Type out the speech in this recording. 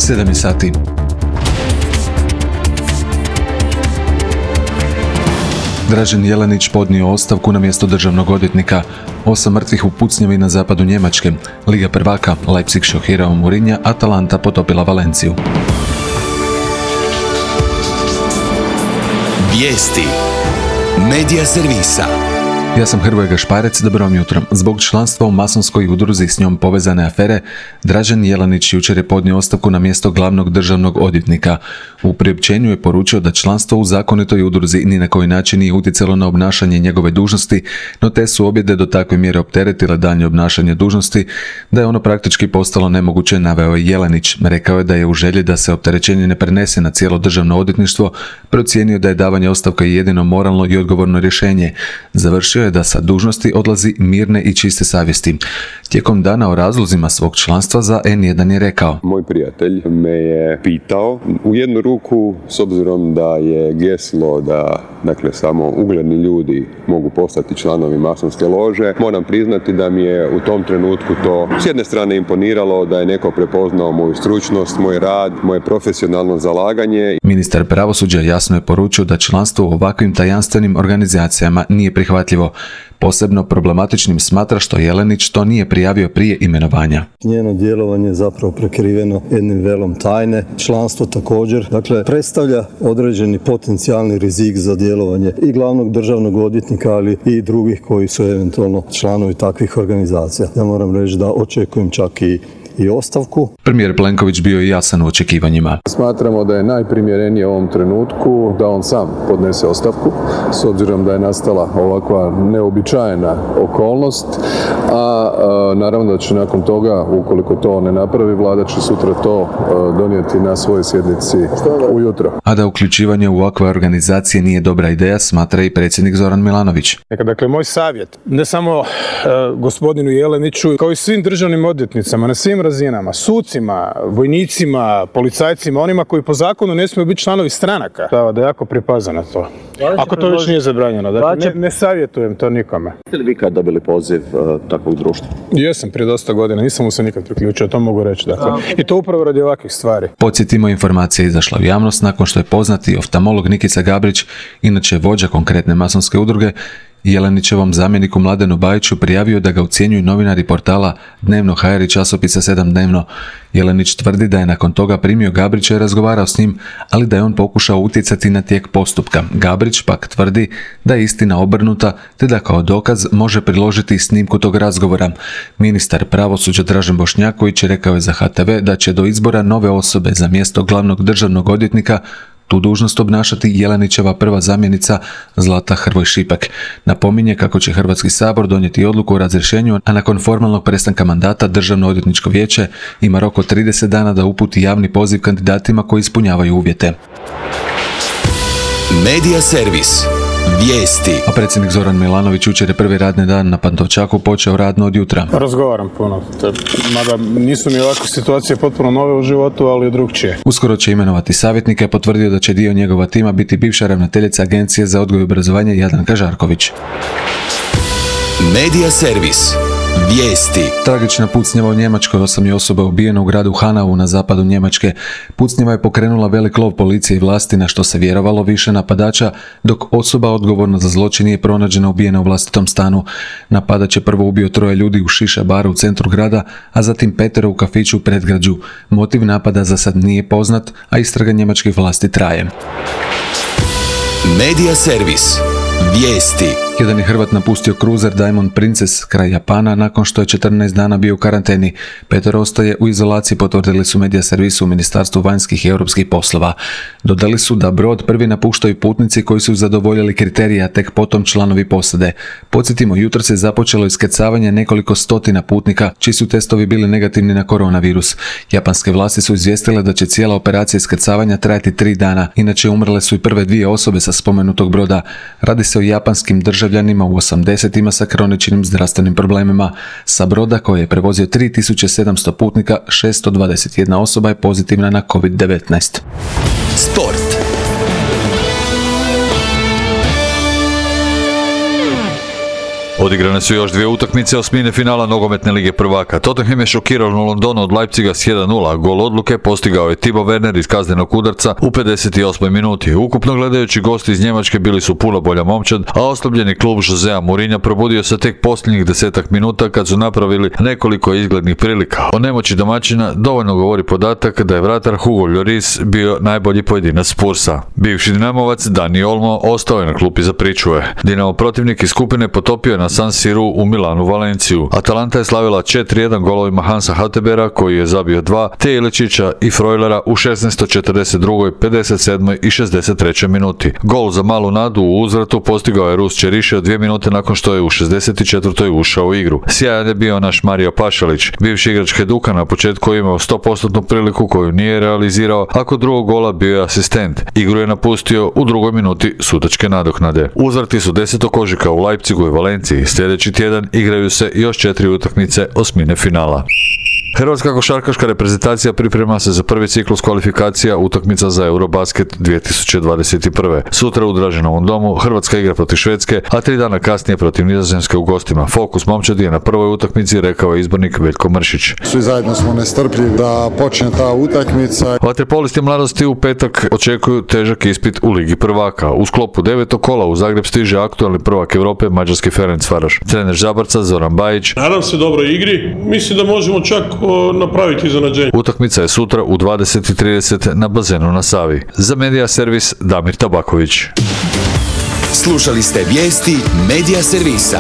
7 sati. Dražen Jelenić podnio ostavku na mjesto državnog odvjetnika. 8 mrtvih u pucnjavi na zapadu Njemačke. Liga prvaka, Leipzig šokirao Mourinha, Atalanta potopila Valenciju. Vijesti Medija servisa. Ja sam Hrvoje Gašparec, dobro vam jutro. Zbog članstva u masonskoj udruzi s njom povezane afere, Dražen Jelenić jučer je podnio ostavku na mjesto glavnog državnog odvjetnika. U priopćenju je poručio da članstvo u zakonitoj udruzi ni na koji način nije utjecalo na obnašanje njegove dužnosti, no te su objede do takve mjere opteretile daljnje obnašanje dužnosti, da je ono praktički postalo nemoguće, naveo je Jelenić. Rekao je da je u želji da se opterećenje ne prenese na cijelo državno odvjetništvo, procijenio da je davanje ostavke jedino moralno i odgovorno rješenje. Završio je da sa dužnosti odlazi mirne i čiste savjesti. Tijekom dana o razlozima svog članstva za N1 je rekao: Moj prijatelj me je pitao, u jednu ruku, s obzirom da je geslo da samo ugledni ljudi mogu postati članovi masonske lože, moram priznati da mi je u tom trenutku to s jedne strane imponiralo, da je neko prepoznao moju stručnost, moj rad, moje profesionalno zalaganje. Ministar pravosuđa jasno je poručio da članstvo u ovakvim tajanstvenim organizacijama nije prihvatljivo. Posebno problematičnim smatra što Jelenić to nije prijavio prije imenovanja. Njeno djelovanje je zapravo prekriveno jednim velom tajne. Članstvo također, predstavlja određeni potencijalni rizik za djelovanje i glavnog državnog odvjetnika, ali i drugih koji su eventualno članovi takvih organizacija. Ja moram reći da očekujem čak i ostavku. Premijer Plenković bio je jasan u očekivanjima. Smatramo da je najprimjerenije u ovom trenutku da on sam podnese ostavku, s obzirom da je nastala ovakva neobičajena okolnost, a naravno da će nakon toga, ukoliko to ne napravi, vlada će sutra to donijeti na svojoj sjednici ujutro. A da uključivanje u ovakve organizacije nije dobra ideja, smatra i predsjednik Zoran Milanović. Dakle, moj savjet, ne samo gospodinu Jeleniću, kao i svim državnim odvjetnicama, na svim razinama, sucima, vojnicima, policajcima, onima koji po zakonu ne smiju biti članovi stranaka, da jako pripaze na to. Ako to već nije zabranjeno, ne savjetujem to nikome. Jeste li vi kad dobili poziv takvog društva? Jesam, prije dosta godina, nisam mu se nikad priključio, to mogu reći. I to upravo radi ovakvih stvari. Podsjetimo, informacija je izašla u javnost nakon što je poznati oftalmolog Nikica Gabrić, inače vođa konkretne masonske udruge, Jelenićevom zamjeniku Mladenu Bajiću prijavio da ga ucjenjuju novinari portala Dnevno.hr i časopisa 7 dnevno. Jelenić tvrdi da je nakon toga primio Gabrića i razgovarao s njim, ali da je on pokušao utjecati na tijek postupka. Gabrić pak tvrdi da je istina obrnuta, te da kao dokaz može priložiti snimku tog razgovora. Ministar pravosuđa Dražen Bošnjaković rekao je za HTV da će do izbora nove osobe za mjesto glavnog državnog odvjetnika tu dužnost obnašati Jelenićeva prva zamjenica Zlata Hrvoj Šipek. Napominje kako će Hrvatski sabor donijeti odluku o razrješenju, a nakon formalnog prestanka mandata Državno odvjetničko vijeće ima rok od 30 dana da uputi javni poziv kandidatima koji ispunjavaju uvjete. Medija servis. Vijesti. A predsjednik Zoran Milanović jučer je prvi radni dan na Pantovčaku počeo radno od jutra. Razgovaram puno, mada nisu mi ovakve situacije potpuno nove u životu, ali drugčije. Uskoro će imenovati savjetnike, potvrdio da će dio njegova tima biti bivša ravnateljica Agencije za odgoj i obrazovanje Jadranka Žarković. Medija servis. Vijesti. Tragična pucnjava u Njemačkoj, 8 je osoba ubijeno u gradu Hanau na zapadu Njemačke. Pucnjava je pokrenula velik lov policije i vlasti, na što se vjerovalo više napadača, dok osoba odgovorna za zločin nije pronađena ubijena u vlastitom stanu. Napadač je prvo ubio 3 ljudi u šiša baru u centru grada, a zatim 5 u kafiću u predgrađu. Motiv napada za sad nije poznat, a istraga njemačkih vlasti traje. Medija servis. Vijesti. Jedan je Hrvat napustio kruzer Diamond Princess kraj Japana nakon što je 14 dana bio u karanteni. 5 ostaje u izolaciji, potvrdili su medija servisu u Ministarstvu vanjskih i europskih poslova. Dodali su da brod prvi napuštaju putnici koji su zadovoljili kriterije, a tek potom članovi posade. Podsjetimo, jutros je započelo iskrcavanje nekoliko stotina putnika čiji su testovi bili negativni na koronavirus. Japanske vlasti su izvijestile da će cijela operacija iskrcavanja trajati 3 dana. Inače, umrle su i prve 2 osobe sa spomenutog broda. Radi se o japanskim državljanima u 80-ima sa kroničnim zdravstvenim problemima. Sa broda koji je prevozio 3700 putnika, 621 osoba je pozitivna na COVID-19. Sport. Odigrane su još dvije utakmice osmine finala nogometne lige prvaka. Tottenham je šokirao u Londonu od Leipziga s 1:0. Gol odluke postigao je Timo Werner iz kaznenog udarca u 58. minuti. Ukupno gledajući, gosti iz Njemačke bili su puno bolja momčad, a oslabljeni klub Josea Mourinha probudio se tek posljednjih 10 minuta kad su napravili nekoliko izglednih prilika. O nemoći domaćina dovoljno govori podatak da je vratar Hugo Lloris bio najbolji pojedinac Spursa. Bivši Dinamovac Dani Olmo ostao je na klupi za pričuve. Dinamo protivnik iz skupine potopio je na San Siru u Milanu Valenciju. Atalanta je slavila 4:1 golovima Hansa Hatebera koji je zabio 2, te Iličića i Frojlera u 16., 42., 57. i 63. minuti. Gol za malu nadu u uzvratu postigao je Rus Čerišev 2 minute nakon što je u 64. ušao u igru. Sjajan je bio naš Mario Pašalić. Bivši igrač Hajduka na početku imao 100% priliku koju nije realizirao, a kod drugog gola bio je asistent. Igru je napustio u drugoj minuti sudačke nadoknade. Uzvrati su 10. ožujka u Leipzigu i Valenciji. Sljedeći tjedan igraju se još 4 utakmice osmine finala. Hrvatska košarkaška reprezentacija priprema se za prvi ciklus kvalifikacija utakmica za Eurobasket 2021. Sutra u Draženovom domu Hrvatska igra protiv Švedske, a 3 dana kasnije protiv Nizozemske u gostima. Fokus momčadi je na prvoj utakmici, rekao je izbornik Veljko Mršić. Svi zajedno smo nestrpljivi da počne ta utakmica. Vaterpolisti mladosti u petak očekuju težak ispit u Ligi prvaka. U sklopu 9. kola u Zagreb stiže aktualni prvak Europe mađarski Ferencvaroš. Trener Žabarca Zoran Bajić: nadam se dobroj igri, mislim da možemo čak napraviti iznenađenje. Utakmica je sutra u 20:30 na bazenu na Savi. Za Medija servis Damir Tabaković. Slušali ste vijesti Medija servisa.